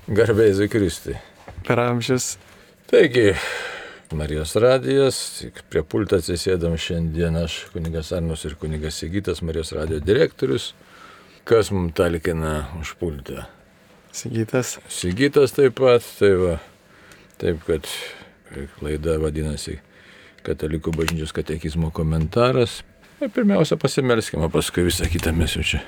Garbė Jėzui Kristui. Per amžius. Taigi, Marijos radijas, tik prie pulto atsisėdam šiandien aš, kunigas Arnus ir kunigas Sigitas, Marijos radijo direktorius. Kas mums talkina už pultą? Sigitas. Sigitas taip pat, tai va, taip kad laida vadinasi Katalikų bažnyčios katekizmo komentaras. Pirmiausia pasimelskime, paskui visą kitą mes jau čia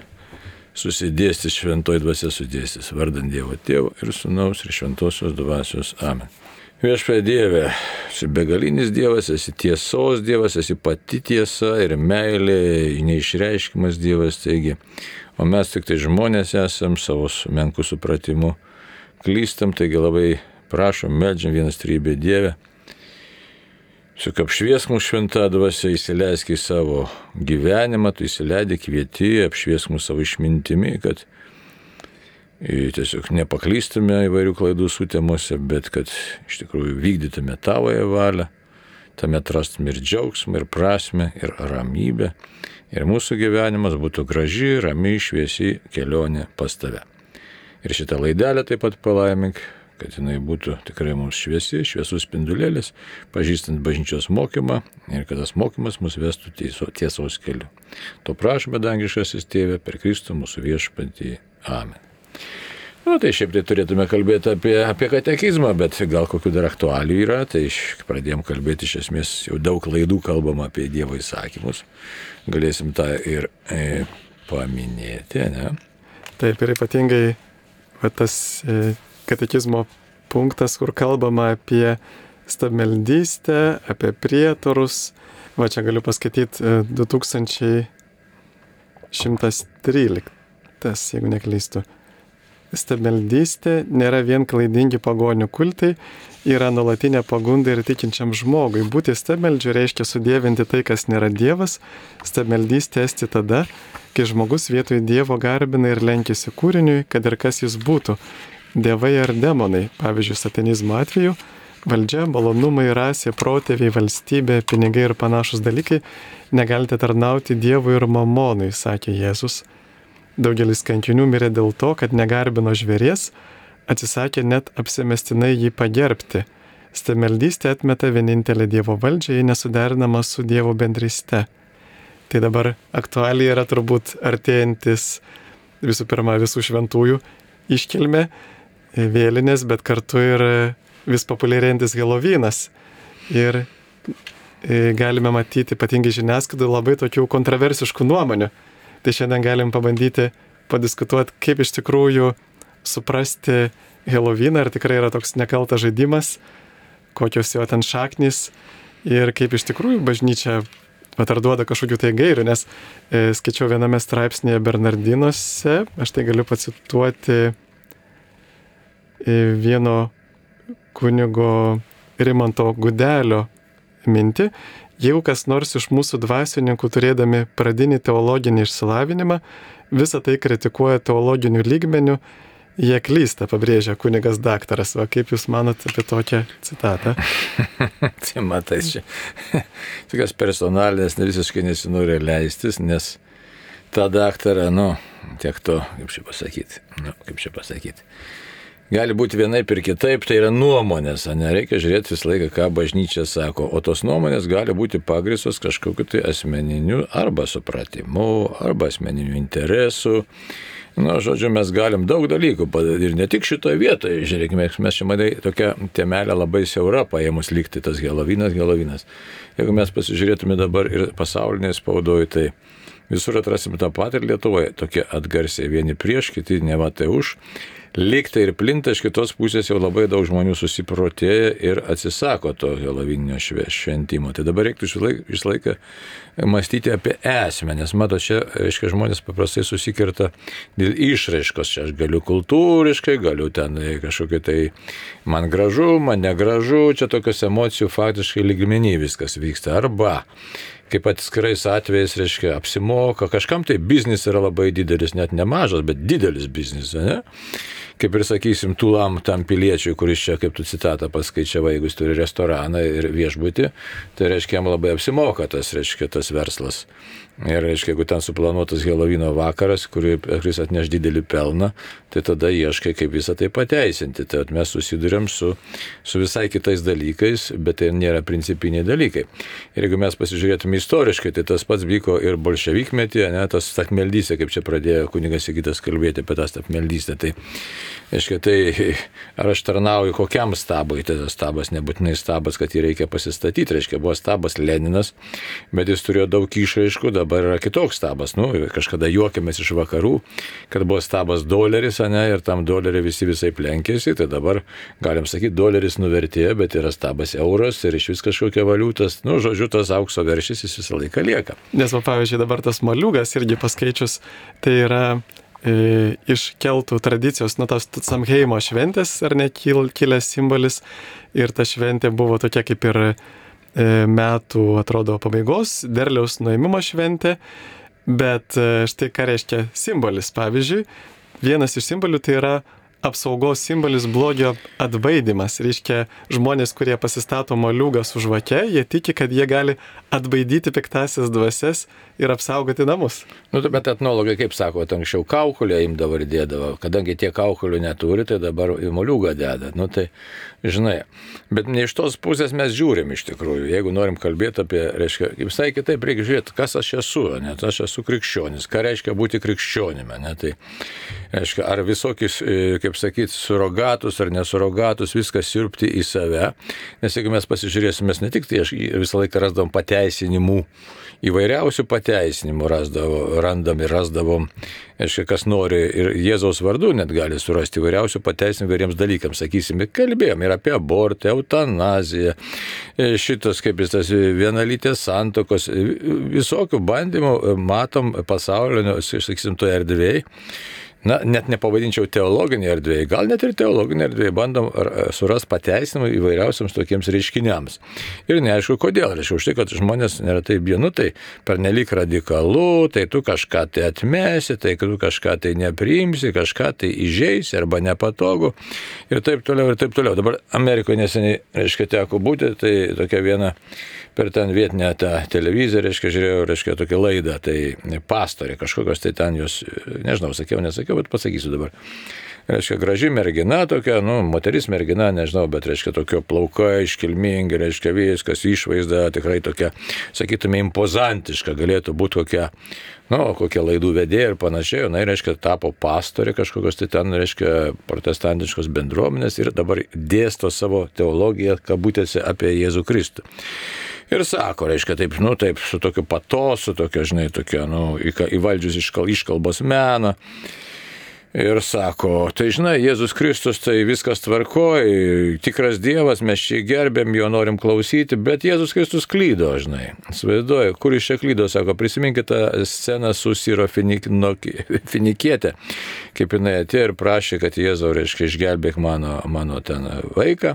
susidėstys, šventoji dvasia sudėstys, vardant Dievo Tėvo ir Sūnaus ir Šventosios Dvasios. Amen. Viešpatie Dieve, esi begalinis Dievas, esi tiesos Dievas, esi pati tiesa ir meilė, neišreiškimas Dievas, taigi, o mes tik tai žmonės esam savo menkų supratimu, klystam, taigi labai prašom, meldžiam vienas trybė Dieve, Juk apšviesk mūsų šventą dvasią, įsileisk į savo gyvenimą, tu įsileidai, kvieti, apšviesk mūsų savo išmintimi, kad tiesiog nepaklystume įvairių klaidų sutemuose, bet kad iš tikrųjų vykdytume tavoje valią, tame atrastume ir džiaugsmą, ir prasmę, ir ramybę, ir mūsų gyvenimas būtų graži, rami, šviesi kelionė pas tave. Ir šitą laidelę taip pat palaimink, kad jinai būtų tikrai mums šviesi, šviesus spindulėlis, pažįstant bažnyčios mokymą ir kad tas mokymas mus vestų tiesos keliu. To prašome, dangiškasis Tėve, per Kristų mūsų viešpatį. Amen. Tai šiaip tai turėtume kalbėti apie katekizmą, bet gal kokių dar aktualių yra, tai pradėjom kalbėti iš esmės, jau daug laidų kalbam apie Dievo įsakymus. Galėsim tą ir paminėti, ne? Taip, ir ypatingai tas katekizmo punktas, kur kalbama apie stabmeldystę, apie prietarus. Va čia galiu paskaityti 2113, jeigu neklystu. Stabmeldystė nėra vien klaidingi pagonių kultai, yra nuolatinė pagunda ir tikinčiam žmogui. Būti stabmeldžiu reiškia sudievinti tai, kas nėra Dievas. Stabmeldystė esti tada, kai žmogus vietoj Dievo garbina ir lenkiasi kūriniui, kad ir kas jis būtų. Dievai ar demonai, pavyzdžiui, satanizmo atveju, valdžia, malonumai, rasė, protėviai, valstybė, pinigai ir panašus dalykai negalite tarnauti Dievui ir mamonui, sakė Jėzus. Daugelis kankinių mirė dėl to, kad negarbino žvėries, atsisakė net apsimestinai jį pagerbti. Stabmeldystė atmeta vienintelę Dievo valdžią, jei nesuderinama su Dievo bendryste. Tai dabar aktualiai yra turbūt artėjantis visų pirma visų šventųjų iškilmė, vėlinės, bet kartu ir vis populiarėjantis Helovynas. Ir galime matyti ypatingai žiniasklaidai labai tokių kontroversiškų nuomonių. Tai šiandien galim pabandyti padiskutuoti, kaip iš tikrųjų suprasti Helovyną, ar tikrai yra toks nekaltas žaidimas, kokios jo ten šaknys ir kaip iš tikrųjų bažnyčia ar duoda kažkokių tai gairių, nes skaičiau viename straipsnėje Bernardinuose, aš tai galiu pacituoti vieno kunigo Rimanto Gudelio mintį. Jeigu kas nors iš mūsų dvasininkų turėdami pradinį teologinį išsilavinimą, visą tai kritikuoja teologinių lygmenių, jie klysta, pabrėžia kunigas daktaras. Va, kaip jūs manot apie tokią citatą? Tai matai, čia tokios personalinės visiškai nesinori leistis, nes tą daktarą, tiek to, kaip čia pasakyti. Gali būti vienaip ir kitaip, tai yra nuomonės, nereikia žiūrėti visą laiką, ką bažnyčia sako, o tos nuomonės gali būti pagrįstos kažkokiu tai asmeniniu arba supratimu, arba asmeniniu interesu. Žodžiu, mes galim daug dalykų padaryti ir ne tik šitoje vietoje, žiūrėkime, mes čia matai tokia temelė labai siaura paėmus likti tas Helovynas. Jeigu mes pasižiūrėtume dabar ir pasaulinėje spaudoje, tai visur atrasim tą patį ir Lietuvoje, tokie atgarsiai vieni prieš, kiti nematai už. Liktai ir plinta, iš kitos pusės jau labai daug žmonių susiprotėja ir atsisako to Helovyninio šventimo. Tai dabar reiktų visą laiką mąstyti apie esmę, nes mato, čia, reiškia, žmonės paprastai susikirta dėl išraiškos. Čia aš galiu kultūriškai, galiu ten kažkokia tai man gražu, man negražu, čia tokios emocijų faktiškai lygmenį viskas vyksta. Arba kaip atskirais atvejais, reiškia, apsimoka, kažkam tai biznis yra labai didelis, net nemažas, bet didelis biznis, ne? Kaip ir sakysim, tam piliečiui, kuris čia, kaip tu citatą paskaičiavai, jeigu jis turi restoraną ir viešbutį, tai reiškia, jam labai apsimoka tas verslas. Ir reiškia, jeigu ten suplanuotas Helovino vakaras, kuris atneš didelį pelną, tai tada ieškai, kaip visą tai pateisinti. Tai mes susidurėm su visai kitais dalykais, bet tai nėra principiniai dalykai. Ir jeigu mes pasižiūrėtume istoriškai, tai tas pats vyko ir bolševikmetyje, ne, tas stabmeldystė, kaip čia pradėjo kunigas Sigitas kalbėti apie tą stabmeldystę. Tai, reiškia, tai ar aš tarnauju kokiam stabui, tai tas stabas nebūtinai stabas, kad jį reikia pasistatyti, reiškia, buvo stabas Leninas, bet jis turėjo daug išraiškų, dabar yra kitoks stabas. Kažkada juokėmės iš vakarų, kad buvo stabas doleris, ne, ir tam dolerį visai plenkėsi, tai dabar galim sakyti, doleris nuvertėjo, bet yra stabas euras ir iš vis kažkokia valiutas, žodžiu, tas aukso veršis jis visą laiką lieka. Nes, pavyzdžiui, dabar tas moliūgas irgi paskaičius, tai yra iš keltų tradicijos, tas Samheimo šventės, ar ne, kilęs simbolis, ir ta šventė buvo tokia kaip ir metų, atrodo, pabaigos, derliaus nuėmimo šventė, bet štai ką reiškia simbolis. Pavyzdžiui, vienas iš simbolių tai yra apsaugos simbolis blogio atbaidymas. Reiškia, žmonės, kurie pasistato moliūgą su žvake, jie tiki, kad jie gali atbaidyti piktasias dvasias ir apsaugoti namus. Bet etnologai, kaip sako, anksčiau kaukolę imdavo ir dėdavo. Kadangi tie kaukolių neturi, tai dabar į moliūgą deda. Tai, žinai, bet ne iš tos pusės mes žiūrim iš tikrųjų. Jeigu norim kalbėti apie, reiškia, visai kitaip reikia žiūrėti, kas aš esu, net aš esu krikščionis. Ką reiškia būti krikščionimi, ne? Tai, reiškia, ar visokius, kaip sakyti, surogatus ar nesurogatus, viskas siurbti į save. Nes jeigu mes pasižiūrėsime, ne tik tai aš visą laiką rasdavom pateisinimų, įvairiausių pateisinimų rasdavom, aiškiai, kas nori ir Jėzaus vardu net gali surasti įvairiausių pateisinimų įvairiems dalykams. Sakysime, kalbėjom ir apie abortą, eutanaziją, šitas, kaip jis tas vienalytės santokos, visokių bandymų matom pasaulio, sakysim, toje erdvėje. Net nepavadinčiau teologinė erdvėje, gal net ir teologinė erdvėje bandom surasti pateisinimą įvairiausiams tokiems reiškiniams. Ir neaišku, kodėl. Reiškia, už tai, kad žmonės neretai bijo, tai pernelyg radikalu, tai tu kažką tai atmesi, tai tu kažką tai nepriimsi, kažką tai įžeisi arba nepatogu ir taip toliau, ir taip toliau. Dabar Amerikoje neseniai, reiškia, teko būti, tai tokia viena per ten vietinę tą televiziją, reiškia, žiūrėjau, reiškia, tokią laidą, tai pastorė kažkokios, tai ten jos, nežinau, nesakiau, bet pasakysiu dabar. Reiškia, graži mergina tokia, moteris mergina, nežinau, bet reiškia, tokio plaukai, iškilmingi, reiškia, viskas, išvaizda tikrai tokia, sakytume, impozantiška, galėtų būti kokia laidų vedėja ir panašiai, reiškia, tapo pastorė kažkokios, tai ten, reiškia, protestantiškos bendruomenės ir dabar dėsto savo teologiją, kabutėse, apie Jėzų Kristų. Ir sako, reiškia, taip, su tokiu patosu, tokia, žinai, tokia, įvaldžius iškalbos meną. Ir sako, tai žinai, Jėzus Kristus, tai viskas tvarkoj, tikras Dievas, mes čia gerbėm, jo norim klausyti, bet Jėzus Kristus klydo, žinai. Svaiduoju, kur iš čia klydo, sako, prisiminkite tą sceną su Syro Finikietė, kaip jinai atėjo ir prašė, kad Jėzau, reiškia, išgelbėk mano ten vaiką.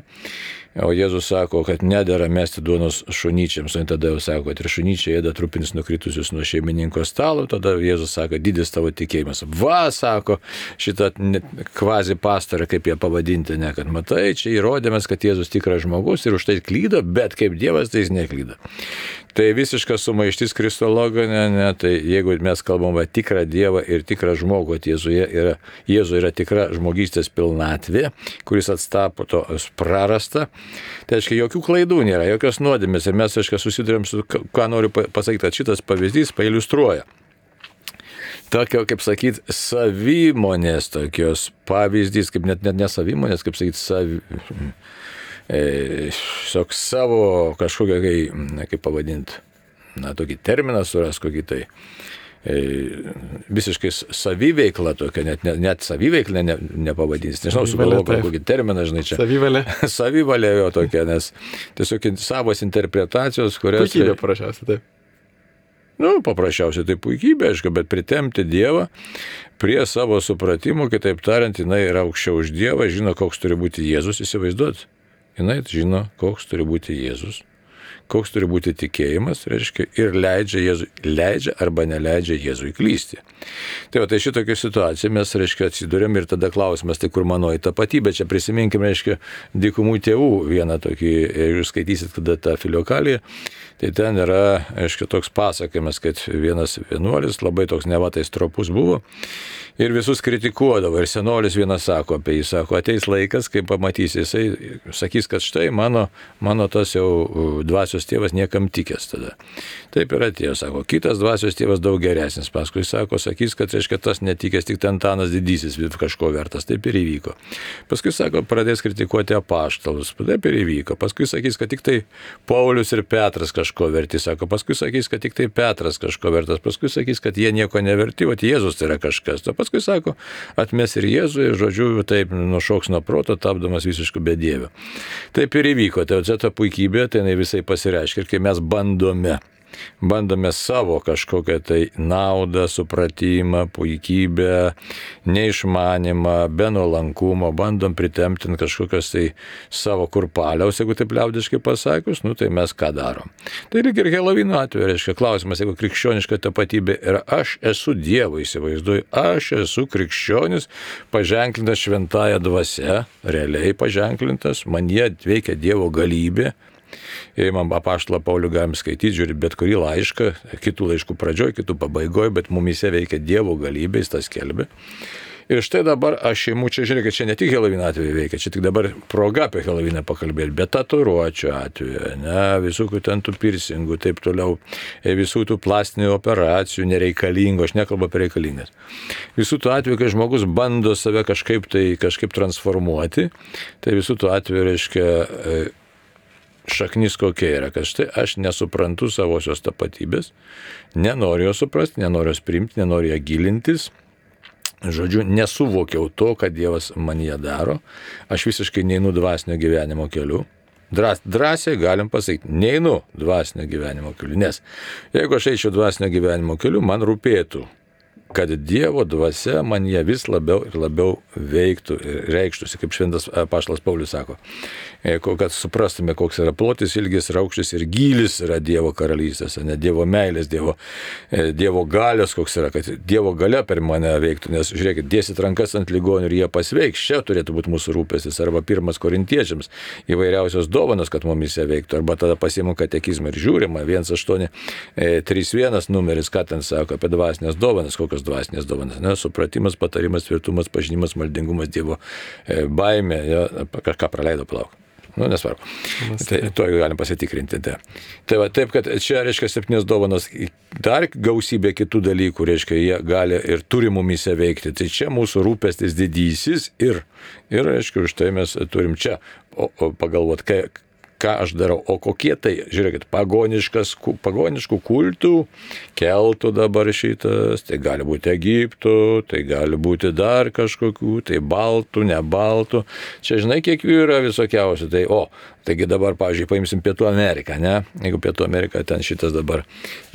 O Jėzus sako, kad nedera mesti duonos šunyčiams, o tada jau sako, kad ir šunyčiai ėda trupinius nukritusius nuo šeimininko stalo, tada Jėzus sako, didis tavo tikėjimas. Va, sako, šitą kvazi pastorę, kaip ją pavadinti, ne, kad matai, čia įrodėmės, kad Jėzus tikras žmogus ir už tai klydo, bet kaip Dievas tai jis neklydo. Tai visiškas sumaištis kristologinė, tai jeigu mes kalbam apie tikrą Dievą ir tikrą žmogų, Jėzuje yra tikra žmogystės pilnatvė, kuris atstapo to prarastą, tai aiškiai jokių klaidų nėra, jokios nuodėmės ir mes aiškiai susidurėm su, ką noriu pasakyti, kad šitas pavyzdys pailiustruoja. Tokio, kaip sakyti, savimonės tokios pavyzdys, kaip net ne savimonės, kaip sakyti, savo kažkokią, kaip pavadinti, tokį terminą suras, kokį tai visiškai saviveikla tokia, net saviveikla nepavadins. Nežinau, sugalvoju kokį terminą, žinai, čia. Savivalė. Savivalė jo tokia, nes tiesiog savos interpretacijos, kurias... Puikybė paprasčiausiai, taip. Paprasčiausiai tai puikybė, aišku, bet pritempti Dievą prie savo supratimų, kitaip tariant, jinai yra aukščiau už Dievą, žino, koks turi būti Jėzus, įsivaizduot. Jinai žino, koks turi būti Jėzus, koks turi būti tikėjimas, reiškia, ir leidžia arba neleidžia Jėzui klysti. Tai šitokia situacija mes, reiškia, atsidūrėm ir tada klausimas, tai kur manoji tapatybė, čia prisiminkime, reiškia, dykumų tėvų vieną tokį, jeigu skaitysit tada tą Filiokaliją, tai ten yra, reiškia, toks pasakymas, kad vienas vienuolis labai toks nevatais tropus buvo ir visus kritikuodavo. Ir senolis vienas sako apie jį, sako, ateis laikas, kai pamatysi, jisai sakys, kad štai mano tas jau dvasios tėvas niekam tikęs tada. Taip ir atėjo, sako, kitas dvasios tėvas daug geresnis, paskui sakys, kad, reiškia, tas netikęs tik Antanas didysis kažko vertas, taip ir įvyko. Paskui, sako, pradės kritikuoti apaštalus, taip ir įvyko. Paskui sakys, kad tik tai Paulius ir Petras kažko verti, sako, paskui sakys, kad tik tai Petras kažko vertas, paskui sakys, kad jie nieko neverti, o Jėzus tai yra kažkas. Paskui sako, atmes ir Jėzų ir, žodžiu, taip nušoks nuo proto, tapdamas visiškų bedievių. Taip ir įvyko. Tai ta puikybė, tai visai pasireiškia. Ir kai mes bandome savo kažkokią tai naudą, supratimą, puikybę, neišmanimą, be nuolankumo, bandom pritempti kažkokios tai savo kurpaliaus, jeigu taip liaudiškai pasakius, tai mes ką darom. Tai lyg ir Helovino atveju, reiškia, klausimas, jeigu krikščioniška tapatybė yra aš esu Dievo, įsivaizduoju, aš esu krikščionis, paženklintas šventąja dvasia, realiai paženklintas, man jie veikia Dievo galybė. Jei man apaštalą Paulių galim skaityti, žiūrėti bet kurį laišką, kitų laiškų pradžioj, kitų pabaigoj, bet mumise veikia Dievo galybė, jis tą skelbia. Ir štai dabar aš imu, čia žiūrėk, čia ne tik Helovino atveju veikia, čia tik dabar proga apie Heloviną pakalbėti, bet tatuiruočių atveju, visų ten tų piercingų, taip toliau, visų tų plastinių operacijų nereikalingų, aš nekalbu apie reikalingas. Visų tų atveju, kai žmogus bando save kažkaip transformuoti, tai visų tų atveju, reiškia, šaknis kokia yra, kad štai aš nesuprantu savosios tapatybės, nenoriu jos suprasti, nenoriu jos priimti, nenoriu ją gilintis, žodžiu, nesuvokiau to, kad Dievas man ją daro, aš visiškai neinu dvasinio gyvenimo keliu. Drąsiai galim pasakyti, neinu dvasinio gyvenimo keliu, nes jeigu aš eičiau dvasinio gyvenimo keliu, man rūpėtų, kad Dievo dvasia man ją vis labiau ir labiau veiktų ir reikštųsi, kaip šventas apaštalas Paulius sako, kad suprastume, koks yra plotis, ilgis, aukštis ir gylis yra Dievo karalystės, ne Dievo meilės, Dievo galios, koks yra, kad Dievo galia per mane veiktų, nes žiūrėkit, dėsit rankas ant ligonių ir jie pasveiks, čia turėtų būti mūsų rūpestis, arba 1 Korintiečiams įvairiausios dovanos, kad mumise veiktų, arba tada pasiimu katekizmą ir žiūrima, 1831 numeris, ką ten sako apie dvasinės dovanas, kokios dvasinės dovanas, supratimas, patarimas, tvirtumas, pažinimas, maldingumas, Dievo baimė, kažką praleido plauk. Nesvarbu. Tai to galim pasitikrinti. Tai va, taip, kad čia, reiškia, 7 dovanos, dar gausybė kitų dalykų, reiškia, jie gali ir turi mumise veikti. Tai čia mūsų rūpestis didysis ir reiškia, už tai mes turim čia pagalvoti, ką aš darau, o kokie tai, žiūrėkit, pagoniškų kultų keltų dabar šitas, tai gali būti Egiptų, tai gali būti dar kažkokių, tai baltų, ne baltų, čia žinai, kiek jų yra visokiausių, taigi dabar, pavyzdžiui, paimsim Pietų Ameriką, ne, jeigu Pietų Amerika ten šitas dabar,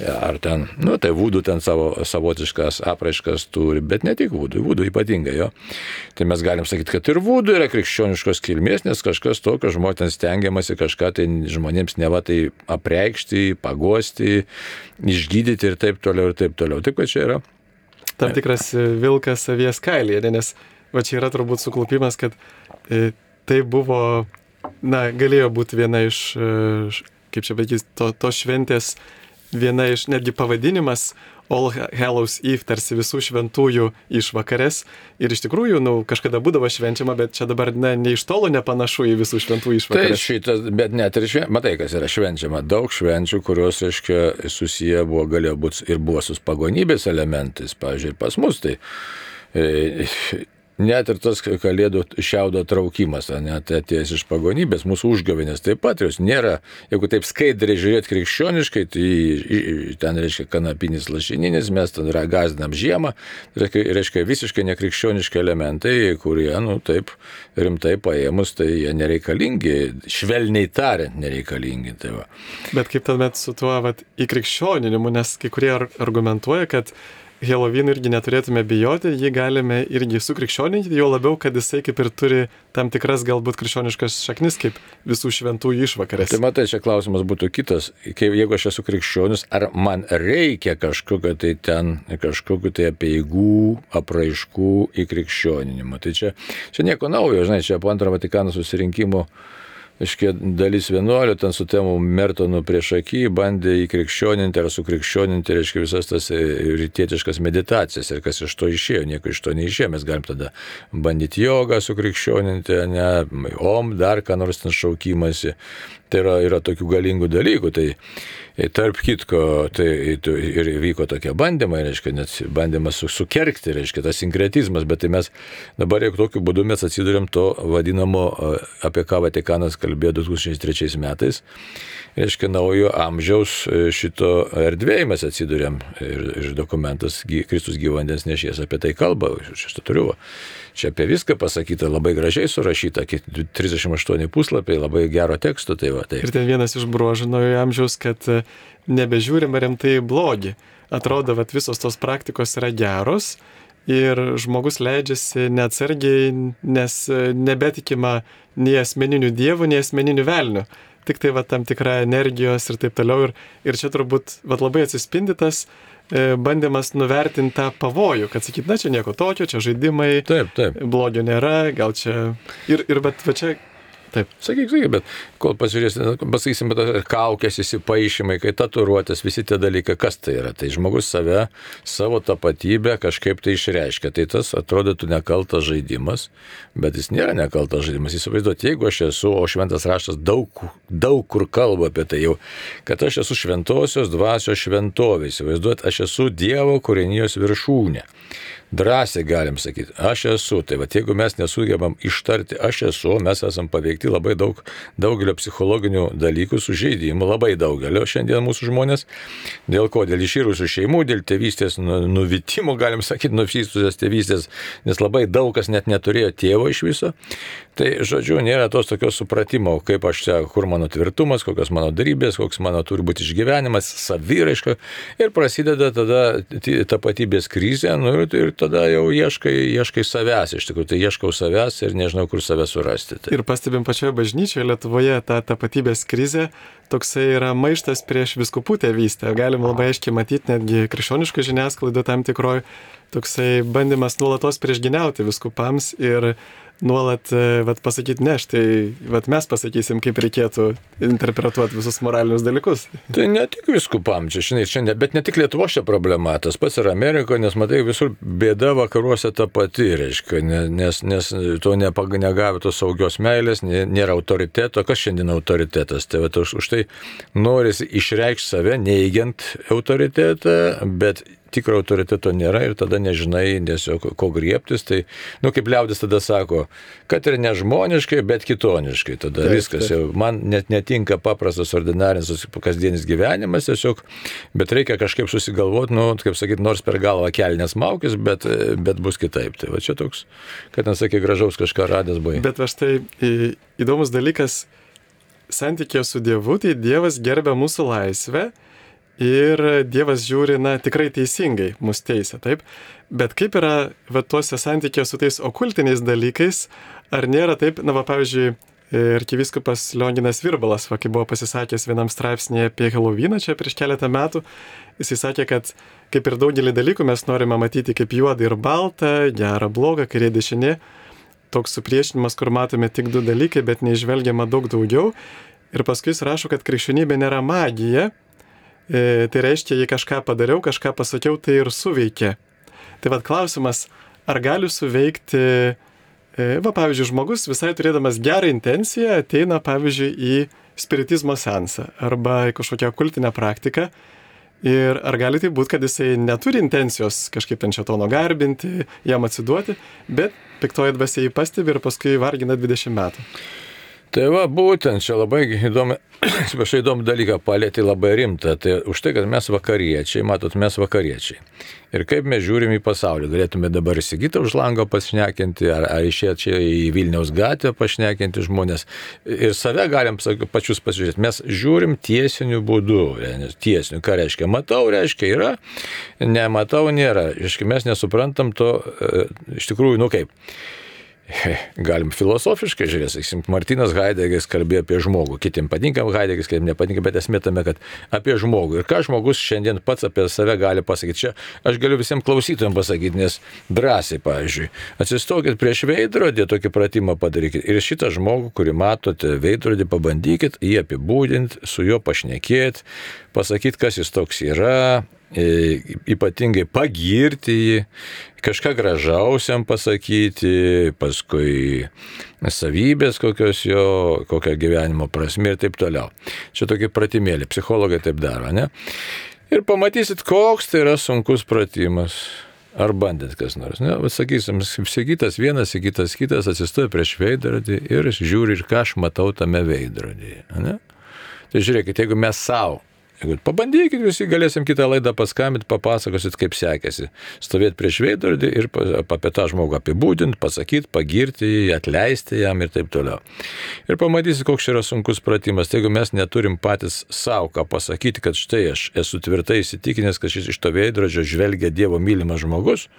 ar ten, tai vūdų ten savotiškas apraiškas turi, bet ne tik vūdų ypatingai, jo, tai mes galim sakyti, kad ir vūdų yra krikščioniškos kilmės, nes kažkas tokio žmonės ten stengiamasi kažką tai žmonėms neva tai apreikšti, paguosti, išgydyti ir taip toliau, ir taip toliau. Taip, kad čia yra tam tikras vilkas avies kailyje, nes va čia yra turbūt suklupimas, kad tai buvo, galėjo būti viena iš, kaip čia sakys, to šventės, viena iš netgi pavadinimas All Hallows Eve, tarsi visų šventųjų išvakarės. Ir iš tikrųjų, kažkada būdavo švenčiama, bet čia dabar ne iš tolo nepanašu į visų šventųjų išvakarės. Tai šitas, bet net ir matai, kas yra švenčiama. Daug švenčių, kurios, reiškia, susiję galėjo būti ir buvo su pagonybės elementais, pavyzdžiui, pas mus. Tai net ir tas kalėdų šiaudo traukimas, net atėjęs iš pagonybės, mūsų užgavėnės taip pat, jos nėra, jeigu taip skaidriai žiūrėti krikščioniškai, tai ten reiškia kanapinis lašininis, mes ten gazdinam žiemą, reiškia visiškai nekrikščioniški elementai, kurie, taip rimtai paėmus, tai jie nereikalingi, švelniai tariant nereikalingi. Tai va. Bet kaip tuomet su tuo įkrikščioninimu, nes kai kurie argumentuoja, kad Helovino irgi neturėtume bijoti, jį galime irgi sukrikščioninti, jo labiau, kad jisai kaip ir turi tam tikras galbūt krikščioniškas šaknis, kaip visų šventųjų išvakarės. Tai matai, čia klausimas būtų kitas. Jeigu aš esu krikščionis, ar man reikia kažkokiu tai apeigų, apraiškų įkrikščioninimo. Tai čia nieko naujo, žinai, čia po Antrojo Vatikano susirinkimo dalis vienuolių, ten su tėmu Mertonu priešaky bandė įkrikščioninti ar sukrikščioninti, reiškia, visas tas rytietiškas meditacijas ir kas iš to išėjo, nieko iš to neišėjo, mes galim tada bandyti jogą sukrikščioninti, dar ką nors ten šaukimasi, tai yra tokių galingų dalykų, tai tarp kitko, tai ir vyko tokie bandymai, reiškia, net bandymas sukerkti, reiškia, tas sinkretizmas, bet tai mes dabar jau tokiu būdu mes atsiduriam to vadinamo, apie ką Vatikanas kalbėjo 2003 metais, reiškia, naujo amžiaus šito erdvėje mes atsiduriam ir dokumentas Kristus gyvo vandens nešėjas apie tai kalba, šitą turiu. Čia apie viską pasakyta, labai gražiai surašyta, 38 puslapiai, labai gero teksto. Tai. Ir ten vienas iš bruožų naujo amžiaus, kad nebežiūrime rimtai blogį. Atrodo, kad visos tos praktikos yra geros ir žmogus leidžiasi neatsargiai, nes nebetikima nei asmeninių dievų, nei asmeninių velnių. Tik tai tam tikra energijos ir taip toliau. Ir čia turbūt labai atsispindytas bandymas nuvertinti tą pavojų, kad sakyt, na čia nieko tokio, čia žaidimai, taip. Blogio nėra, gal čia bet va čia. Taip. Sakyk, bet kol pasakysim, kaukės, įsipaišymai, kai tatuiruotės, visi tie dalykai, kas tai yra? Tai žmogus savo tapatybę kažkaip tai išreiškia. Tai tas atrodytų nekaltas žaidimas, bet jis nėra nekaltas žaidimas. Įsivaizduoti, jeigu aš esu, o šventas raštas daug kur kalba apie tai jau, kad aš esu šventosios dvasios šventovė. Įsivaizduoti, aš esu Dievo kūrinijos viršūnė. Drąsiai galim sakyti, aš esu. Tai jeigu mes nesugebam ištarti, aš esu, mes esam paveikti labai daugelio psichologinių dalykų, sužeidimų, labai daugelio šiandien mūsų žmonės. Dėl ko? Dėl iširusių šeimų, dėl tėvystės nuvitimų, galim sakyti, nuvystusios tėvystės, nes labai daug kas net neturėjo tėvo iš viso. Tai, žodžiu, nėra tos tokios supratimo, kaip aš čia, kur mano tvirtumas, kokios mano darybės, koks mano turi būti išgyvenimas, saviraiška. Ir prasideda tada tapatybės krizė, ir tada jau ieškai savęs, iš tikrųjų, tai ieškau savęs ir nežinau, kur savęs surasti. Tai. Ir pastebim pačioje bažnyčioje Lietuvoje tą tapatybės krizę, toksai yra maištas prieš vyskupų tėvystę. Galim labai aiškiai matyti netgi krikščioniškų žiniasklaidų tam tikroj, toksai bandymas nuolatos priešginiauti vyskupams ir nuolat pasakyti, ne, štai mes pasakysim, kaip reikėtų interpretuoti visus moralinius dalykus. Tai ne tik viskupam, bet ne tik Lietuvos čia problema, tas pats yra Amerikoje, nes matai, visur bėda vakaruose ta pati, reiškia, nes to negavę tos saugios meilės, nėra autoriteto, kas šiandien autoritetas, tai už tai norisi išreikšti save, neigiant autoritetą, bet tikro autoriteto nėra ir tada nežinai tiesiog ko griebtis, tai, kaip liaudis tada sako, kad ir nežmoniškai, bet kitoniškai, tada viskas jau, man net netinka paprastas ordinarinis kasdienis gyvenimas tiesiog, bet reikia kažkaip susigalvoti, kaip sakyti, nors per galvą kelnes maukis, bet bus kitaip, tai va čia toks, kad nesakė gražaus kažką radęs buvai. Bet va štai įdomus dalykas, santykė su Dievu, tai Dievas gerbia mūsų laisvę, ir Dievas žiūri, tikrai teisingai mus teisia, taip? Bet kaip yra tuose santykiuose su tais okultiniais dalykais, ar nėra taip, pavyzdžiui, arkivyskupas Lionginas Virbalas, kai buvo pasisakęs vienam straipsnėje apie Heloviną čia prieš keletą metų, jisai sakė, kad kaip ir daugelį dalykų mes norime matyti kaip juodą ir baltą, gerą, blogą, kairė, dešinė, toks supriešinimas, kur matome tik du dalykai, bet neižvelgiama daug daugiau. Ir paskui jis rašo, kad krikščionybė nėra magija. Tai reiškia, jei kažką padariau, kažką pasakiau, tai ir suveikė. Tai klausimas, ar gali suveikti, pavyzdžiui, žmogus visai turėdamas gerą intenciją ateina, pavyzdžiui, į spiritizmo seansą arba į kažkokią kultinę praktiką ir ar gali tai būti, kad jisai neturi intencijos kažkaip ten šėtono garbinti, jam atsiduoti, bet piktoji dvasia jį pastebi ir paskui vargina 20 metų. Tai va, būtent čia labai įdomu dalyką palėtė, labai rimta. Tai už tai, kad mes vakariečiai, matot, mes vakariečiai. Ir kaip mes žiūrim į pasaulį. Galėtume dabar įsigyti už lango pašnekinti, ar išėti čia į Vilniaus gatvę pašnekinti žmonės. Ir save galim pačius pasižiūrėti. Mes žiūrim tiesiniu būdu. Tiesiniu, ką reiškia? Matau, reiškia yra, nematau, nėra. Reiškia, mes nesuprantam to, iš tikrųjų, kaip. Galim filosofiškai žiūrėti, sakysim, Martynas Haidegeris kalbėjo apie žmogų, kitiems patinka Haidegeris, kitiems nepatinka, bet esmė tame, kad apie žmogų. Ir ką žmogus šiandien pats apie save gali pasakyti. Čia aš galiu visiems klausytojams pasakyti, nes drąsiai, pavyzdžiui, atsistokit prieš veidrodį, tokį pratimą padarykit. Ir šitą žmogų, kurį matote veidrodį, pabandykit jį apibūdinti, su juo pašnekėti, pasakyti, kas jis toks yra, ypatingai pagirti jį, kažką gražausiam pasakyti, paskui savybės kokios jo, kokia gyvenimo prasmė ir taip toliau. Čia tokie pratimėlį, psichologai taip daro, ne? Ir pamatysit, koks tai yra sunkus pratimas. Ar bandėt kas nors, ne? Sakysim, Sigitas vienas, Sigitas kitas atsistoja prieš veidrodį ir žiūri, ir ką aš matau tame veidrodyje, ne? Tai žiūrėkit, jeigu mes savo, pabandykit, visi galėsim kitą laidą paskambinti, papasakosit, kaip sekėsi. Stovėti prieš veidrodį ir apie tą žmogų apibūdinti, pasakyti, pagirti jį, atleisti jam ir taip toliau. Ir pamatysit, koks yra sunkus pratimas. Tai jeigu mes neturim patys savo ką pasakyti, kad štai aš esu tvirtai įsitikinęs, kad šis iš to veidrodžio žvelgia Dievo mylimas žmogus,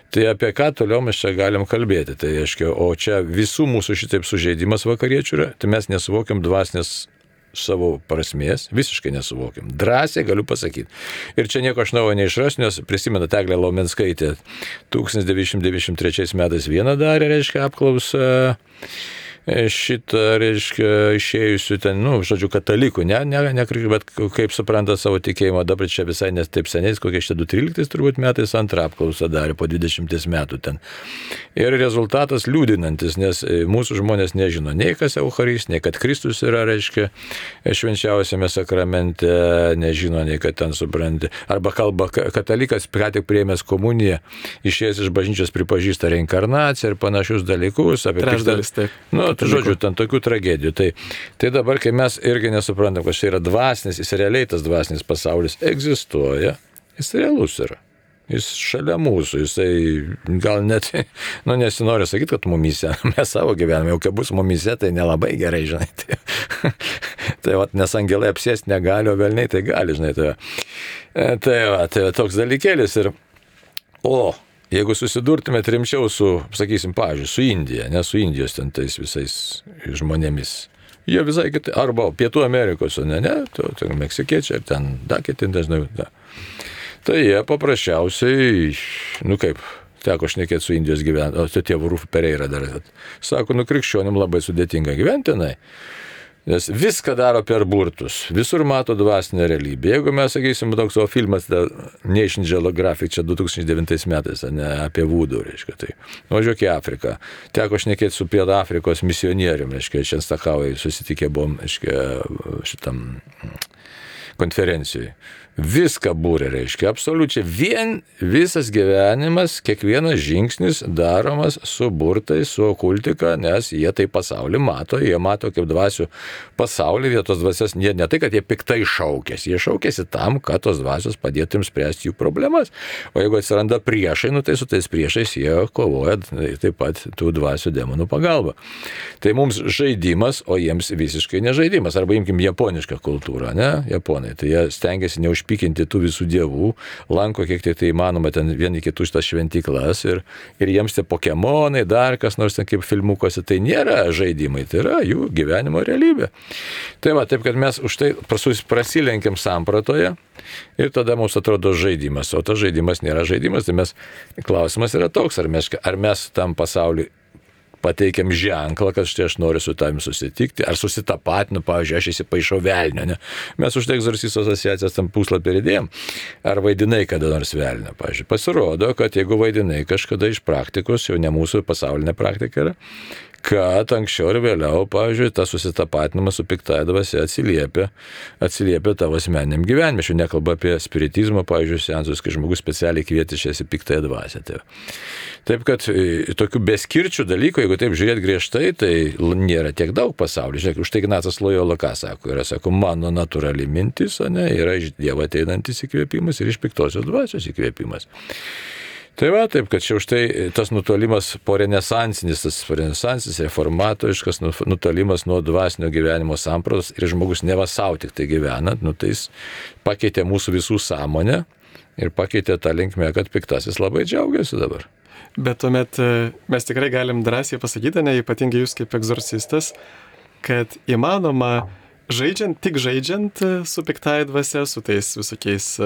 tai apie ką toliau mes čia galim kalbėti. Tai aiškiai, o čia visų mūsų šitaip sužeidimas vakariečių yra, tai mes nesuvokiam dvasinės savo prasmės, visiškai nesuvokiam. Drąsiai galiu pasakyti. Ir čia nieko aš naujo neišrasiu, nes prisimenu Eglė Laumenskaitė 1993 metais vieną darė, reiškia, apklausą šitą, reiškia, išėjusių ten, žodžiu, katalikų, bet kaip supranta savo tikėjimą, dabar čia visai nes taip seniais, kokie čia 2013 turbūt metais antrą apklausą darė po 20 metų ten. Ir rezultatas liūdinantis, nes mūsų žmonės nežino nei kas Eucharistija, nei kad Kristus yra, reiškia, švenčiausiame sakramente, nežino, nei kad ten supranti. Arba kalba katalikas, ką tik priėmęs komuniją, išėjęs iš bažnyčios pripažįsta reinkarnaciją ir panašius dalykus. Trečdalis taip. Žodžiu, ten tokių tragedijų. Tai dabar, kai mes irgi nesuprantam, kad čia yra dvasinis, jis realiai tas dvasinis pasaulis egzistuoja, jis realus yra. Jis šalia mūsų, jisai gal net, nesinori sakyti, kad mumyse, mes savo gyvename, jau kai bus mumyse, tai nelabai gerai, žinai. Tai nes angelai apsėsti negali, o velniai tai gali, žinai. Tai toks dalykėlis ir, jeigu susidurtumėt rimčiau su, sakysim, pavyzdžiui, su Indija, ne su Indijos ten tais visais žmonėmis, jie visai kitai, arba Pietų Amerikos, ne, meksikiečiai, ar ten kiti dažnai, tai jie paprasčiausiai, kaip, teko šnekėti su Indijos gyventojais, tėvų Rūfų Pereira dar, sako, krikščionim labai sudėtinga gyventi tenai. Nes viską daro per burtus, visur mato dvasinę realybę. Jeigu mes, sakysim, toks savo filmas Nation Geographic čia 2009 metais, ne, apie vūdų, reiškia, tai važiuok į Afriką. Teko šnekėti su Pietų Afrikos misionierium, reiškia, Čenstakavai susitikę buvom, reiškia, šitam konferencijai. Viską būrė, reiškia, absoliučiai visas gyvenimas, kiekvienas žingsnis daromas su burtais, su okultika, nes jie tai pasaulį mato, jie mato kaip dvasių pasaulį, vietos dvasias, ne tai, kad jie piktai šaukėsi, jie šaukėsi tam, kad tos dvasios padėtų jums spręsti jų problemas, o jeigu atsiranda priešai, tai su tais priešais jie kovoja taip pat tų dvasių demonų pagalba. Tai mums žaidimas, o jiems visiškai nežaidimas, arba imkim japonišką kultūrą, ne, japonai, tai jie stengiasi neužpikinti tų visų dievų, lanko kiek tai įmanoma ten vieni kitų šitas šventyklas ir jiems tie pokemonai, dar kas nors ten kaip filmukuose, tai nėra žaidimai, tai yra jų gyvenimo realybė. Tai va, taip kad mes už tai prasilenkiam sampratoje ir tada mums atrodo žaidimas, o tas žaidimas nėra žaidimas, tai klausimas yra toks, ar mes tam pasauliu pateikiam ženklą, kad štai aš noriu su tavimi susitikti, ar susitapatinu, pavyzdžiui, aš įsipaišau velnio, ne? Mes už tai egzorcistų asociacijos tam puslapį įdėjom, ar vaidinai kada nors velnio, pavyzdžiui. Pasirodo, kad jeigu vaidinai kažkada iš praktikos, jau ne mūsų pasaulinė praktika yra, kad anksčiau ir vėliau, pavyzdžiui, tas susitapatinimas su piktąja dvasia atsiliepia tavo asmeniniam gyvenime. Aš nekalbu apie spiritizmą, pavyzdžiui, seansus, kai žmogus specialiai kvietišiasi piktąją dvasią. Taip, kad tokių beskirčių dalykų, jeigu taip žiūrėt griežtai, tai nėra tiek daug pasaulyje. Žiūrėk, už tai Ignacas Lojola ką sako? Yra, sako, mano natūrali mintis, yra iš Dievo ateinantis įkvėpimas ir iš piktosios dvasios įkvėpimas. Tai va, taip, kad čia už tai tas nutolimas po renesansinis, reformatoriškas nutolimas nuo dvasinio gyvenimo sampratos ir žmogus neva savo tik tai gyvenant, tai jis pakeitė mūsų visų sąmonę ir pakeitė tą linkmę, kad piktasis labai džiaugiasi dabar. Bet tuomet mes tikrai galim drąsiai pasakyti, ypatingai jūs kaip egzorcistas, kad įmanoma tik žaidžiant su piktaja dvasia, su tais visokiais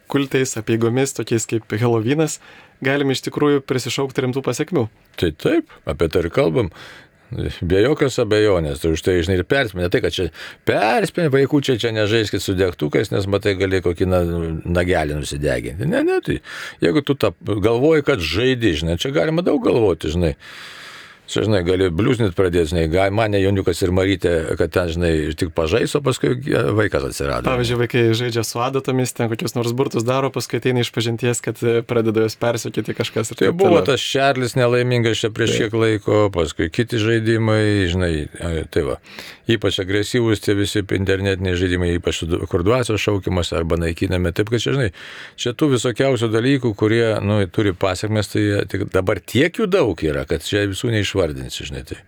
kultais, apeigomis, tokiais kaip Helovynas, galime iš tikrųjų prisišaukti rimtų pasiekmių. Tai taip, apie tai ir kalbam. Be jokios abejonės, tai už tai, žinai, ir perspėja. Ne tai, kad čia perspėja, vaikučiai čia nežaiskit su degtukais, nes matai gali kokį nagelį nusideginti. Ne, tai jeigu tu galvoji, kad žaidi, žinai, čia galima daug galvoti, žinai. Čia, žinai, gali bliuznit pradėti, žinai, mane Jauniukas ir Marytė, kad ten, žinai, tik pažais, o paskui vaikas atsirado. Pavyzdžiui, vaikai žaidžia su adatomis, ten kokius nors burtus daro, paskui ateina iš pažinties, kad pradeda jos persiekyti kažkas. Tai buvo tas Čarlis nelaimingas čia prieš kiek laiko, paskui kiti žaidimai, žinai, tai va. Ypač agresyvūs tie visi internetiniai žaidimai, ypač kur dvasios šaukimas arba naikiname. Taip, kad čia, žinai, čia tų visokiausių dalykų, kurie, turi pasiekmes, tai dabar tiek jų daug yra, kad čia visų neišvardinsi, žinai. Tai.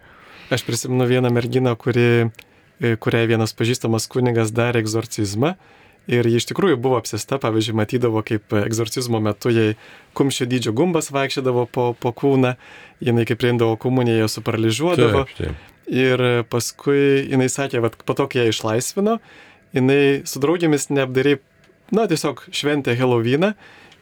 Aš prisimenu vieną merginą, kuriai vienas pažįstamas kunigas darė egzorcizmą ir ji iš tikrųjų buvo apsėsta, pavyzdžiui, matydavo, kaip egzorcizmo metu jai kumščio dydžio gumbas vaikščiodavo po kūną, jinai kaip priimdavo komuniją, ją suparalyžiuodavo. Taip. Ir paskui jinai sakė, po to, kai ją išlaisvino, jinai su draugėmis neapdariai, tiesiog šventė Helovyną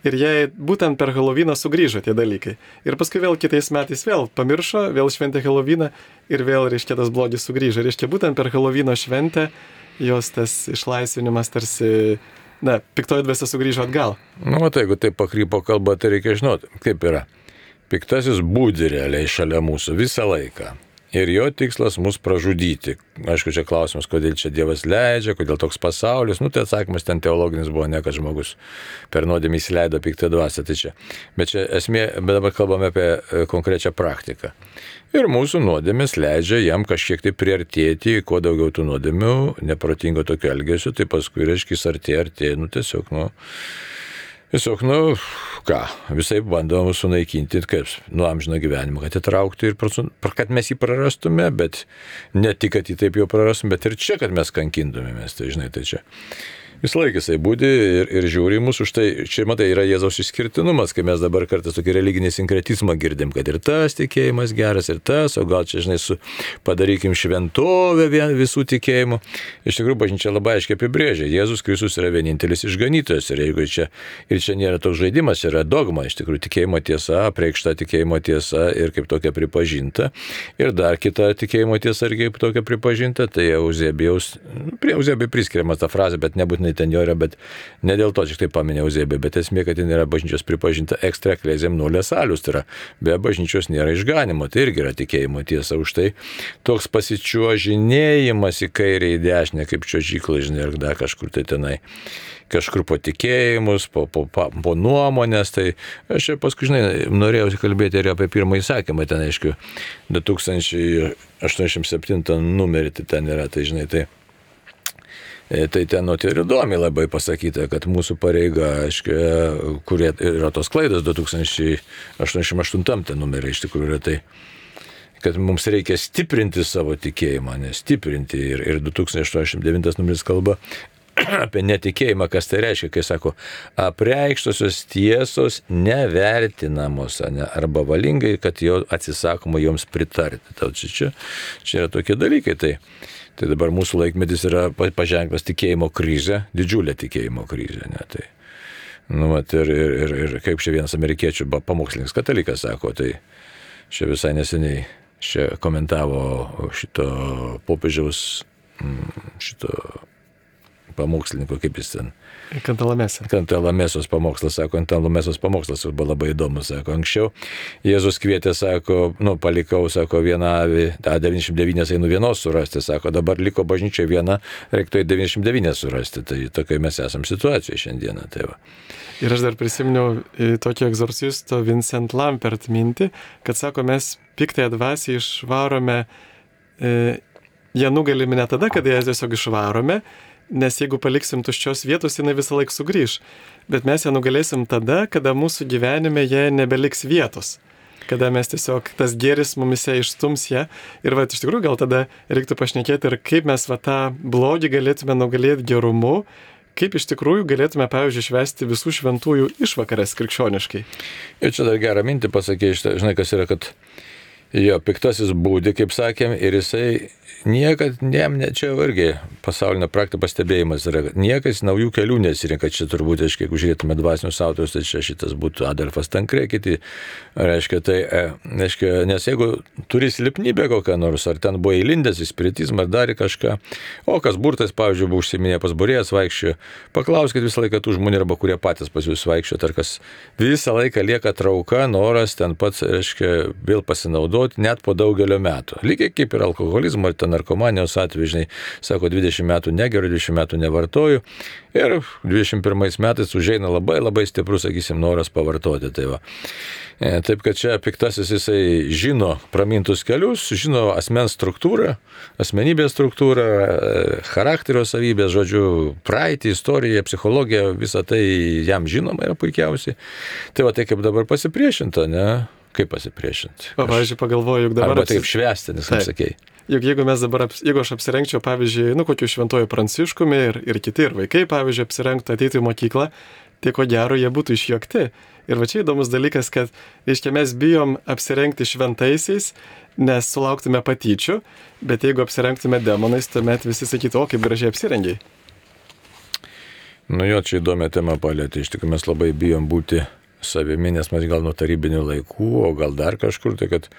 ir jai būtent per Helovyną sugrįžo tie dalykai. Ir paskui vėl kitais metais vėl pamiršo, vėl šventė Helovyną ir vėl, reiškia, tas blogis sugrįžo. Reiškia, būtent per Helovyno šventę jos tas išlaisvinimas tarsi, piktoji dvasia sugrįžo atgal. Tai jeigu taip pakrypo kalba, tai reikia žinoti, kaip yra. Piktasis būdi realiai šalia mūsų visą laiką. Ir jo tikslas mus pražudyti. Aišku, čia klausimas, kodėl čia Dievas leidžia, kodėl toks pasaulis. Tai atsakymas ten teologinis buvo, ne kad žmogus per nuodėmę įsileido piktą dvasią. Tai čia. Bet čia esmė, bet dabar kalbame apie konkrečią praktiką. Ir mūsų nuodėmės leidžia jam kažkiek tai priartėti, kuo daugiau tų nuodėmių, neprotingo tokio elgesio, tai paskui, reiškia, artėja, tiesiog, visai bandom sunaikinti, kaip nuo amžino gyvenimo, kad įtraukti ir kad mes jį prarastume, bet ne tik, kad jį taip jau prarastume, bet ir čia, kad mes kankintumėmės, tai žinai, tai čia. Visą laiką jisai būdi ir žiūri mūsų, už tai, čia matai, yra Jėzaus išskirtinumas, kai mes dabar kartais tokį religinį sinkretizmą girdim, kad ir tas tikėjimas geras, ir tas, o gal čia, žinai, padarykim šventovę visų tikėjimų. Iš tikrųjų, bažnyčia labai aiškiai apibrėžia, Jėzus Kristus yra vienintelis išganytojas ir jeigu čia nėra toks žaidimas, yra dogma, iš tikrųjų, tikėjimo tiesa, apreikšta tikėjimo tiesa ir kaip tokia pripažinta. Ir dar kita tikėjimo tiesa ir kaip tokia pripažinta, tai prie Euzebijos priskiriama ta frazė, bet nebūtinai ten jo yra, bet ne dėl to tik tai paminė Euzebijų, bet esmė, kad ten yra bažnyčios pripažinta extra ecclesiam nulle salus, tai yra be bažnyčios nėra išganimo, tai irgi yra tikėjimo tiesa. Už tai toks pasičiuožinėjimas į kairę, į dešinę, kaip čiuožyklai, žinai, ir dar kažkur tai tenai, kažkur po tikėjimus, po nuomonės, tai aš čia paskui, žinai, norėjau kalbėti ir apie pirmąjį įsakymą, ten, aišku, 2087 numerį tai ten yra, tai žinai, tai ten ir įdomiai labai pasakyta, kad mūsų pareiga, aiškiai, kurie yra tos klaidos 2088 numerį iš tikrųjų yra tai, kad mums reikia stiprinti savo tikėjimą, nestiprinti ir 2089 numeris kalba apie netikėjimą, kas tai reiškia, kai sako, apreikštosios tiesos nevertinamos, arba valingai, kad jau atsisakoma joms pritarti. Čia yra tokie dalykai. Tai dabar mūsų laikmetis yra paženklas tikėjimo krizė, didžiulė tikėjimo krizė. Tai, ir kaip čia vienas amerikiečių pamokslininkas katalikas sako, tai čia visai neseniai čia komentavo šito popiežiaus šito pamokslininko, kaip jis ten. Kantalamėsos pamokslas, sako, Kantalamėsos pamokslas buvo labai įdomus, sako, anksčiau Jėzus kvietė, sako, palikau, sako, vieną avį, 99 einu vienos surasti, sako, dabar liko bažnyčia viena, reiktų 99 surasti, tai tokai mes esam situacijoje šiandieną. Tai va. Ir aš dar prisiminiau tokio egzorcisto Vincent Lampert mintį, kad sako, mes piktąją dvasią išvarome, ją nugalime ne tada, kada ją tiesiog išvarome, nes jeigu paliksim tuščios vietos, jinai visą laiką sugrįž. Bet mes ją nugalėsim tada, kada mūsų gyvenime jie nebeliks vietos. Kada mes tiesiog tas gėris mumise išstums ją. Ir iš tikrųjų gal tada reiktų pašnekėti ir kaip mes tą blogį galėtume nugalėti gerumu, kaip iš tikrųjų galėtume, pavyzdžiui, švęsti visų šventųjų išvakarės krikščioniškai. Ir čia dar gerą mintį pasakė, žinai, kas yra, kad jo piktasis būdi, kaip sakėm, ir jisai niekad, čia irgi pasaulinio praktikos pastebėjimas yra, niekas naujų kelių nesirinka, čia turbūt, jeigu žiūrėtume dvasinius autorius, tai čia šitas būtų Adolfas Tankre, kiti, nes jeigu turi silpnybę kokią nors, ar ten buvo įlindęs į spiritizmą, ar darė kažką, o kas burtas, pavyzdžiui, buvo užsiminė pas būrėjas vaikščiojo, paklauskit visą laiką tų žmonių, arba kurie patys pas jūs vaikščiojo, ar kas visą laiką lieka trauka, noras ten pats, vėl pasinaudoti, net po daugelio metų. Lygiai kaip ir alkoholizmo, ar ten narkomanijos atveju, žinai, sako, 20 metų negeriu, 20 metų nevartoju ir 21 metais užeina labai labai stiprus, sakysim, noras pavartoti. Tai va. Taip, kad čia piktasis jisai žino pramintus kelius, žino asmens struktūrą, asmenybės struktūrą, charakterio savybės, žodžiu, praeitį, istoriją, psichologiją, visą tai jam žinoma yra puikiausiai. Tai va, tai kaip dabar pasipriešinta, ne? Kaip pasipriešinti? Pavyzdžiui, pagalvoju, juk dabar... Arba taip švęsti, nes kaip sakei. Juk jeigu aš apsirengčiau, pavyzdžiui, kokiu šventuoju Pranciškumi ir kiti, ir vaikai, pavyzdžiui, apsirengtų, ateitų į mokyklą, tai ko gero jie būtų išjuokti. Ir va čia įdomus dalykas, kad, reiškia, mes bijom apsirengti šventaisiais, nes sulauktume patyčių, bet jeigu apsirengtume demonais, tuomet visi sakytų, o kaip gražiai apsirengiai. Jo, čia įdomią temą palėtė. Iš tikrųjų, mes labai bijom būti savimi, nes mes gal nuo tarybinių laikų, o gal dar kažkur, tai kad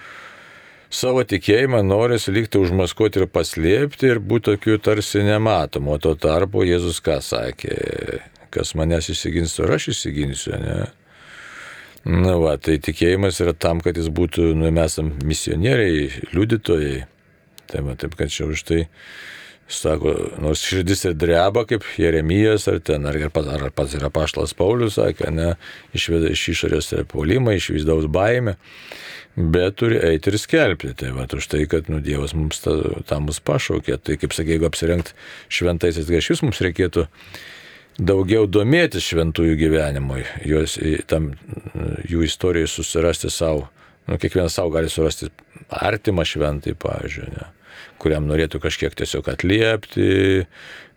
savo tikėjimą norisi likti užmaskuoti ir paslėpti ir būti tokiu tarsi nematomu. O tuo tarpu Jėzus ką sakė? Kas manęs įsigins, ir aš įsiginsiu, ne? Na va, tai tikėjimas yra tam, kad jis būtų, mes esam misionieriai, liudytojai. Tai va, taip, kad čia už tai sako, nors širdis ir dreba, kaip Jeremijas, ar pats yra apaštalas Paulius, sakė, ne, išveda iš išorės puolimą, iš vidaus baimę, bet turi eiti ir skelbti. Tai va, už tai, kad Dievas mums tą mus pašaukė. Tai kaip sakė, jeigu apsirengt šventaisiais grašius, mums reikėtų daugiau domėtis šventųjų gyvenimui, jų istorijai susirasti savo, kiekvienas savo gali surasti artimą šventai, pavyzdžiui, ne, kuriam norėtų kažkiek tiesiog atliepti,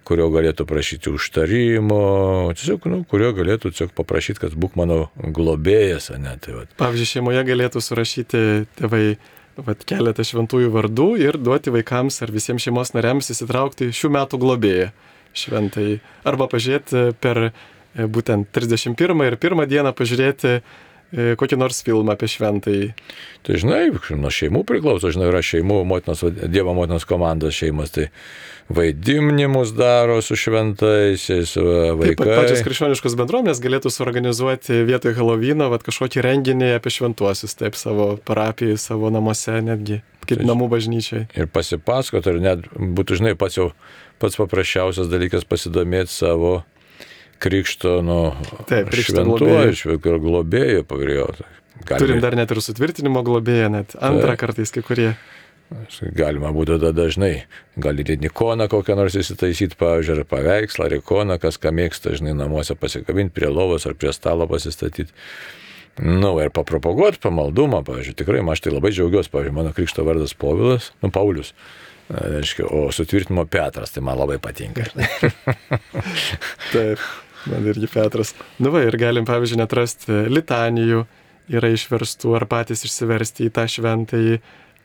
kurio galėtų prašyti užtarimo, tiesiog, kurio galėtų tiesiog paprašyti, kad būk mano globėjas, ne, tai va. Pavyzdžiui, šeimoje galėtų surašyti tėvai keletą šventųjų vardų ir duoti vaikams ar visiems šeimos nariams įsitraukti šių metų globėją šventai. Arba pažiūrėti per būtent 31 ir 1 dieną pažiūrėti kokį nors filmą apie šventąjį. Tai žinai, nuo šeimų priklauso, žinai, yra šeimų, Dievo motinos komandos šeimas, tai vaidinimus daro su šventaisiais, vaikai. Taip, pačios krikščioniškos bendruomenės galėtų suorganizuoti vietoj Helovyno kažkokį renginį apie šventuosius, taip, savo parapijai, savo namuose netgi, kaip namų bažnyčiai. Ir pasipasakoti, ar net būtų, žinai, pats paprasčiausias dalykas pasidomėti savo krikšto, šventuoju, globėjų pagrėjau. Turim dar net ir sutvirtinimo globėją, net antrą kartais kai kurie. Galima būtų tada dažnai, gali ir ikoną kokią nors įsitaisyti, pavyzdžiui, ar paveikslą, ar ikoną, kas ką mėgsta, žinai, namuose pasikabinti, prie lovos ar prie stalo pasistatyti. Ir papropaguoti pamaldumą, pavyzdžiui, tikrai, aš tai labai džiaugiuosi, pavyzdžiui, mano krikšto vardas Paulius, Paulius. O sutvirtinimo Petras, tai man labai patinka. Taip, man irgi Petras. Ir galim, pavyzdžiui, netrasti litanijų, yra išverstų ar patys išsiversti į tą šventąjį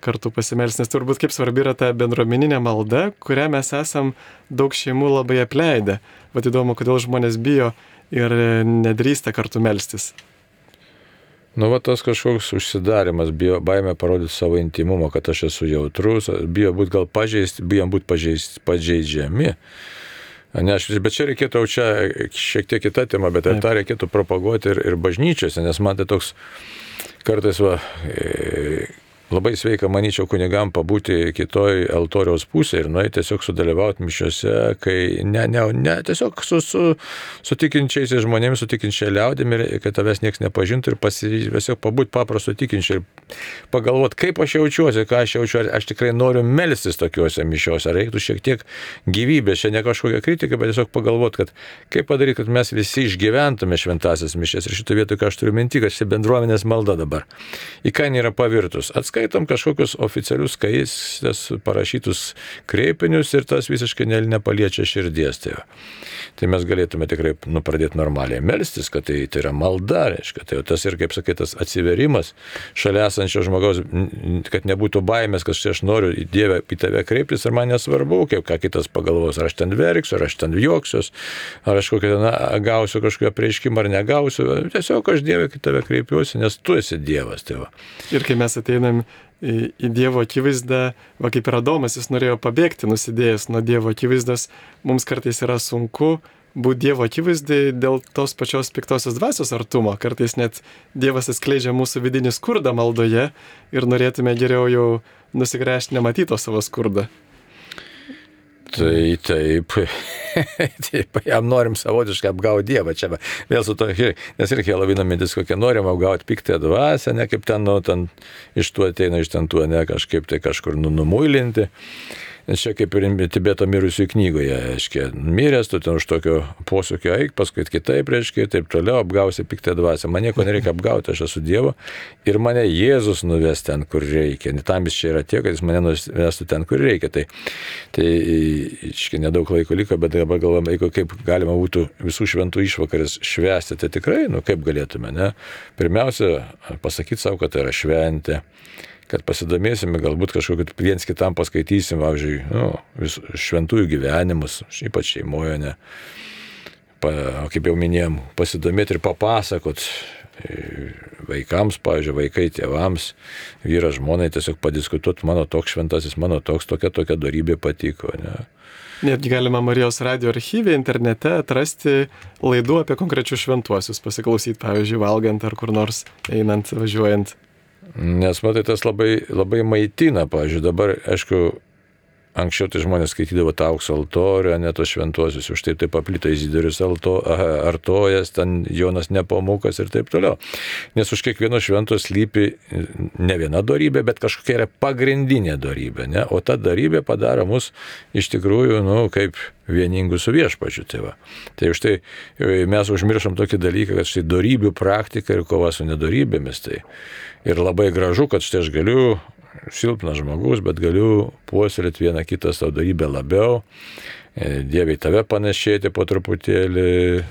kartu pasimelsti, nes turbūt kaip svarbi yra ta bendruomeninė malda, kurią mes esam daug šeimų labai apleidę. Vat įdomu, kodėl žmonės bijo ir nedrįsta kartu melstis. Tas kažkoks užsidarimas, baimė parodyti savo intimumą, kad aš esu jautrus, bijom būti pažeidžiami. Bet čia reikėtų, čia šiek tiek kita tema, bet tą reikėtų propaguoti ir bažnyčiose, nes man tai toks kartais labai sveika, manyčiau, kunigam pabūti kitoj altoriaus pusėje ir nueiti tiesiog sudalyvauti mišiose, kai ne tiesiog su tikinčiais žmonėmis, su tikinčia liaudimi, kad tavęs niekas nepažintų ir tiesiog pabūti paprastu tikinčiu ir pagalvoti, kaip aš jaučiuosi, ką aš jaučiu, ar aš tikrai noriu melstis tokiuose mišiuose, ar reiktų šiek tiek gyvybės, čia ne kažkokia kritika, bet tiesiog pagalvoti, kad kaip padaryti, kad mes visi išgyventume šventasias mišias ir šitą vietą, ką aš turiu minti, kad ši bendruomenės malda dabar. Į ką nėra pavirtus. Skaitom kažkokius oficialius skaistės parašytus kreipinius ir tas visiškai nepaliečia širdies. Tai mes galėtume tikrai pradėti normaliai melstis, kad tai yra malda, reiškia. Tai tas ir, kaip sakai, tas atsiverimas šalia esančio žmogaus, kad nebūtų baimės, kad aš noriu Dievę į tave kreiptis ir man nesvarbu, ką kitas pagalvos, ar aš ten verksiu, ar aš ten juoksiuos, ar aš gausiu kažkokią prieškimą ar negausiu. Tiesiog aš Dievę į tave kreipiuosi, nes tu esi Dievas. Tai va. Ir kai mes ateinam į Dievo akivaizdą, va kaip ir Adomas, jis norėjo pabėgti nusidėjęs nuo Dievo akivaizdos, mums kartais yra sunku būti Dievo akivaizdai dėl tos pačios piktosios dvasios artumo. Kartais net Dievas atskleidžia mūsų vidinį skurdą maldoje ir norėtume geriau jau nusigręžti nematyto savo skurdą. Tai taip, jam norim savotiškai apgauti Dievą čia, vėl su to, nes irgi labai mintis, kokia norim apgauti piktąją dvasią, ne kaip ten, ten iš tų ateina, iš ten tų, ne kažkaip tai kažkur numuilinti. Nes čia kaip ir Tibeto mirusių knygoje, aiškiai, miręs, tu ten už tokio posūkio eik, paskui kitaip, reiškia, taip toliau apgausi piktąją dvasią. Man nieko nereikia apgauti, aš esu Dievo ir mane Jėzus nuves ten, kur reikia. Tam jis čia yra tiek, kad jis mane nuvestų ten, kur reikia. Tai aiškiai, nedaug laiko liko, bet dabar galvojame, kaip galima būtų visų šventų išvakarės švęsti. Tai tikrai, kaip galėtume, ne? Pirmiausia, pasakyti savo, kad tai yra šventė. Kad pasidomėsime, galbūt kažkokį viens kitam paskaitysim, pavyzdžiui, šventųjų gyvenimus, ypač šeimoje, ne. O kaip jau minėjom, pasidomėti ir papasakot vaikams, pavyzdžiui, vaikai tėvams, vyras žmonai, tiesiog padiskutuoti, mano toks šventasis, mano tokia dorybė patiko, ne. Netgi galima Marijos radijo archyve internete atrasti laidų apie konkrečius šventuosius, pasiklausyti, pavyzdžiui, valgant ar kur nors einant, važiuojant. Nes, matai, tas labai maitina, pavyzdžiui, dabar, aišku, anksčiau tai žmonės skaitydavo tą aukso altorių, ne tos šventuosius, už tai paplito Izidorius Artojas, ten Jonas Nepomukas ir taip toliau. Nes už kiekvieno švento slypi ne viena dorybė, bet kažkokia yra pagrindinė dorybė, ne? O ta dorybė padaro mus iš tikrųjų, kaip vieningų su viešpačiu. Tai už tai mes užmiršom tokį dalyką, kad štai dorybių praktika ir kova su nedorybėmis. Tai. Ir labai gražu, kad štai aš galiu, silpnas žmogus, bet galiu puoselėti vieną kitą savo dorybę labiau, Dievai tave panašėti po truputėlį,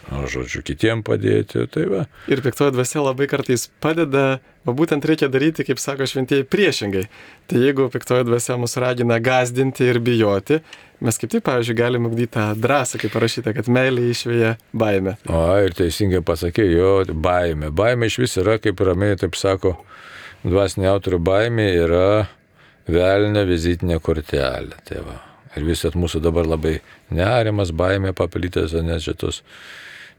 kitiem padėti. Tai va. Ir piktoji dvasia labai kartais padeda, o būtent reikia daryti, kaip sako šventieji, priešingai. Tai jeigu piktoji dvasia mus ragina gąsdinti ir bijoti, mes kaip tik, pavyzdžiui, galime ugdyti tą drąsą, kaip parašyta, kad meilė išveja baimę. Ir teisingai pasakė, baimė. Baimė iš vis yra, kaip ramiai taip sako, dvasinė autorių baimė yra velnio vizitinė kortelė. Tai va. Ir visat mūsų dabar labai nerimas, baimė paplitęs, net šitos,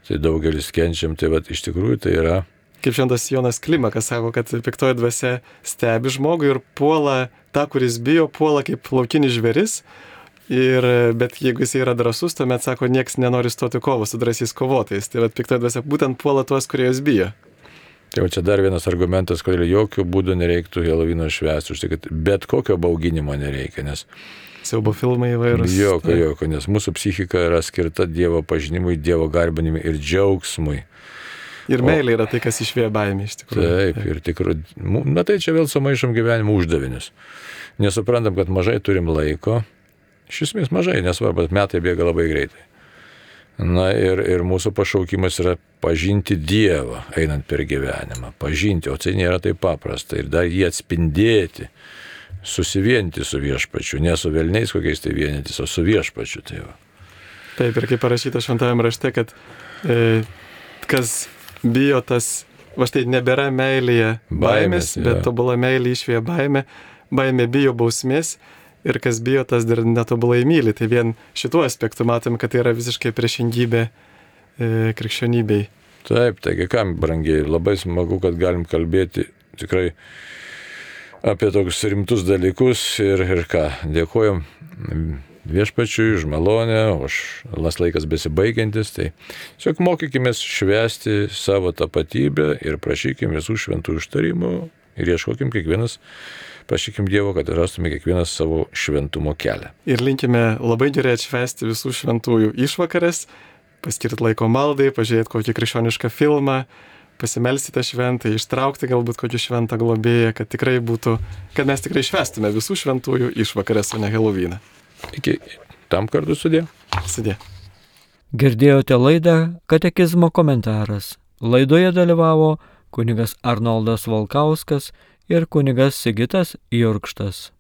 tai daugelis kenčiam, tai va, iš tikrųjų tai yra. Kaip šventas Jonas Klimakas sako, kad piktoji dvasia stebi žmogų ir puola tą, kuris bijo, puola kaip laukinis žvėris. Bet jeigu jis yra drąsus, tuomet sako, nieks nenori stoti kovą su drąsiais kovotojais. Tai va, piktoji dvasia būtent puola tuos, kurie jos bijo. Tai va čia dar vienas argumentas, kodėl jokių būdų nereiktų Helovino švęsti, už tai, kad bet kokio bauginimo nereikia, nes siaubo filmai įvairūs. Jokio, nes mūsų psichika yra skirta Dievo pažinimui, Dievo garbinimui ir džiaugsmui. Ir meilė yra tai, kas išvėja baimę iš tikrųjų. Taip, ir tikrųjų. Na tai čia vėl sumaišom gyvenimo uždavinius. Nesuprantam, kad mažai turim laiko. Iš esmės mažai, nesvarbu, metai bėga labai greitai. Na ir mūsų pašaukimas yra pažinti Dievą, einant per gyvenimą. Pažinti, o tai nėra taip paprasta. Ir dar jį atspindėti. Susivienyti su viešpačiu, ne su velniais kokiais tai vienytis, o su viešpačiu. Tai va. Taip, ir kaip parašyta šventajame rašte, kad kas bijo tas, va štai nebėra meilėje baimės, bet tobula meilė išvėja baimę, baimė bijo bausmės ir kas bijo, tas dar netobulai myli. Tai vien šituo aspektu matom, kad tai yra visiškai priešingybė krikščionybei. Taip, taigi kam, brangiai, labai smagu, kad galim kalbėti tikrai apie tokius rimtus dalykus ir ką, dėkojom viešpačiui už malonę, už laikas besibaigiantis, tai tiesiog mokykimės švęsti savo tapatybę ir prašykim visų šventų užtarimų ir ieškokim kiekvienas, prašykim Dievo, kad rastume kiekvienas savo šventumo kelią. Ir linkime labai gerai atšvęsti visų šventųjų išvakarės, paskirti laiko maldai, pažiūrėti kokį krikščionišką filmą, pasimelsti tą šventą, ištraukti galbūt kokį šventą globėją, kad mes tikrai švęstume visų šventųjų išvakarės, o ne Helovyną. Iki tam kartu sudė. Sudė. Girdėjote laidą Katekizmo komentaras. Laidoje dalyvavo kunigas Arnoldas Valkauskas ir kunigas Sigitas Jurkštas.